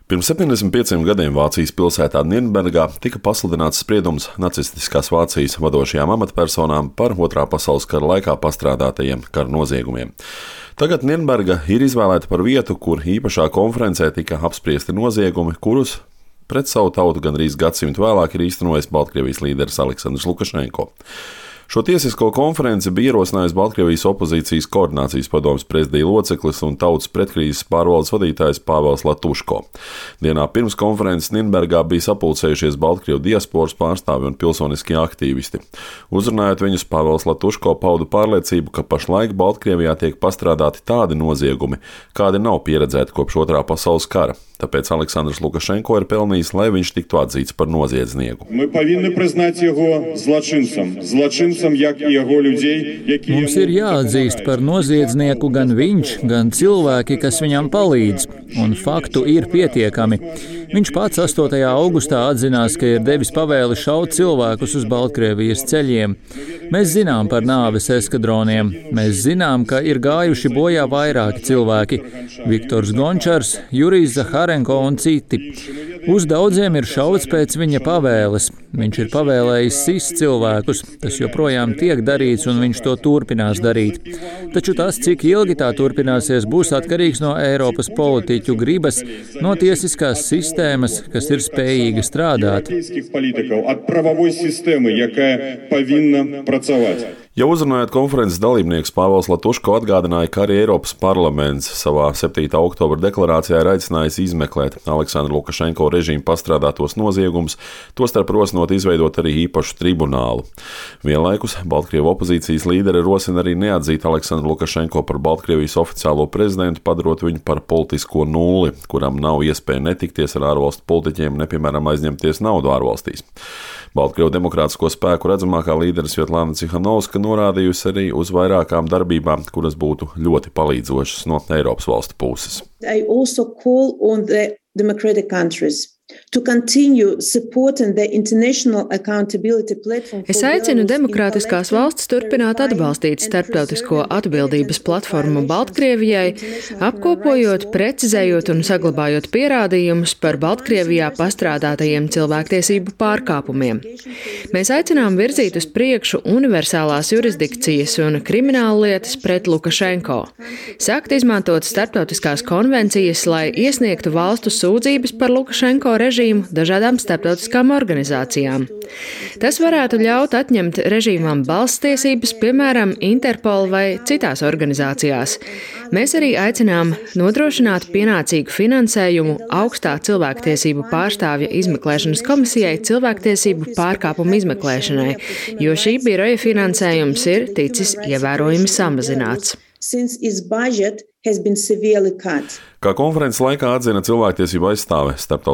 Pirms 75 gadiem Vācijas pilsētā Nirnbergā tika pasludināts spriedums nacistiskās Vācijas vadošajām amatpersonām par Otrā pasaules kara laikā pastrādātajiem kara noziegumiem. Tagad Nirnberga ir izvēlēta par vietu, kur īpašā konferencē tika apspriesti noziegumi, kurus pret savu tautu gandrīz gadsimtu vēlāk ir īstenojis Baltkrievijas līderis Aleksandrs Lukašenko. Šo tiesisko konferenci bija ierosinājis Baltkrievijas opozīcijas koordinācijas padomes prezidija loceklis un tautas pretkrīzes pārvaldes vadītājs Pāvels Latuško. Dienā pirms konferences Nirnbergā bija sapulcējušies Baltkrievu diasporas pārstāvi un pilsoniskie aktīvisti. Uzrunājot viņus, Pāvels Latuško pauda pārliecību, ka pašlaik Baltkrievijā tiek pastrādāti tādi noziegumi, kādi nav pieredzēti kopš Otrā pasaules kara. Tāpēc Aleksandrs Lukašenko ir pelnījis, lai viņš tiktu atzīts par noziedznieku. Mums ir jāatzīst par noziedznieku gan viņš, gan cilvēki, kas viņam palīdz, un faktu ir pietiekami. Viņš pats 8. augustā atzinās, ka ir devis pavēli šaut cilvēkus uz Baltkrievijas ceļiem. Mēs zinām par nāves eskadroniem. Mēs zinām, ka ir gājuši bojā vairāki cilvēki – Viktors Gončars, Jurijs Zaharenko un citi. Uz daudziem ir šauts pēc viņa pavēles. Viņš ir pavēlējis sist cilvēkus. Tas joprojām tiek darīts, un viņš to turpinās darīt. Taču tas, cik ilgi tā turpināsies, būs atkarīgs no Eiropas politiķu gribas, no tiesiskās sistēmas, kas ir spējīga strādāt. Jau uzrunājot konferences dalībniekus, Pāvels Latuško atgādināja, ka arī Eiropas parlaments savā 7. oktobra deklarācijā ir aicinājis izmeklēt Aleksandra Lukašenko režīmu pastrādātos noziegumus, tostarp rosinot izveidot arī īpašu tribunālu. Vienlaikus Baltkrievu opozīcijas līderi rosina arī neatzīt Aleksandru Lukašenko par Baltkrievijas oficiālo prezidentu, padarot viņu par politisko nulli, kuram nav iespēja netikties ar ārvalstu politiķiem, ne piemēram aizņemties naudu ārvalstīs. Baltkrievu demokrātisko spēku redzamākā līdere Svetlana Cihanovska norādījusi arī uz vairākām darbībām, kuras būtu ļoti palīdzošas no Eiropas valstu puses. Es aicinu demokrātiskās valstis turpināt atbalstīt starptautisko atbildības platformu Baltkrievijai, apkopojot, precizējot un saglabājot pierādījumus par Baltkrievijā pastrādātajiem cilvēktiesību pārkāpumiem. Mēs aicinām virzīt uz priekšu universālās jurisdikcijas un krimināllietas pret Lukašenko, sākt izmantot starptautiskās konvencijas, lai iesniegtu valstu sūdzības par Lukašenko režīmu dažādām starptautiskām organizācijām. Tas varētu ļaut atņemt režīmām balsstiesības, piemēram, Interpol vai citās organizācijās. Mēs arī aicinām nodrošināt pienācīgu finansējumu augstā cilvēktiesību pārstāvja izmeklēšanas komisijai cilvēktiesību pārkāpumu izmeklēšanai, jo šī biroja finansējums ir ticis ievērojami samazināts. Kā konferences laikā atzina cilvēktiesību aizstāve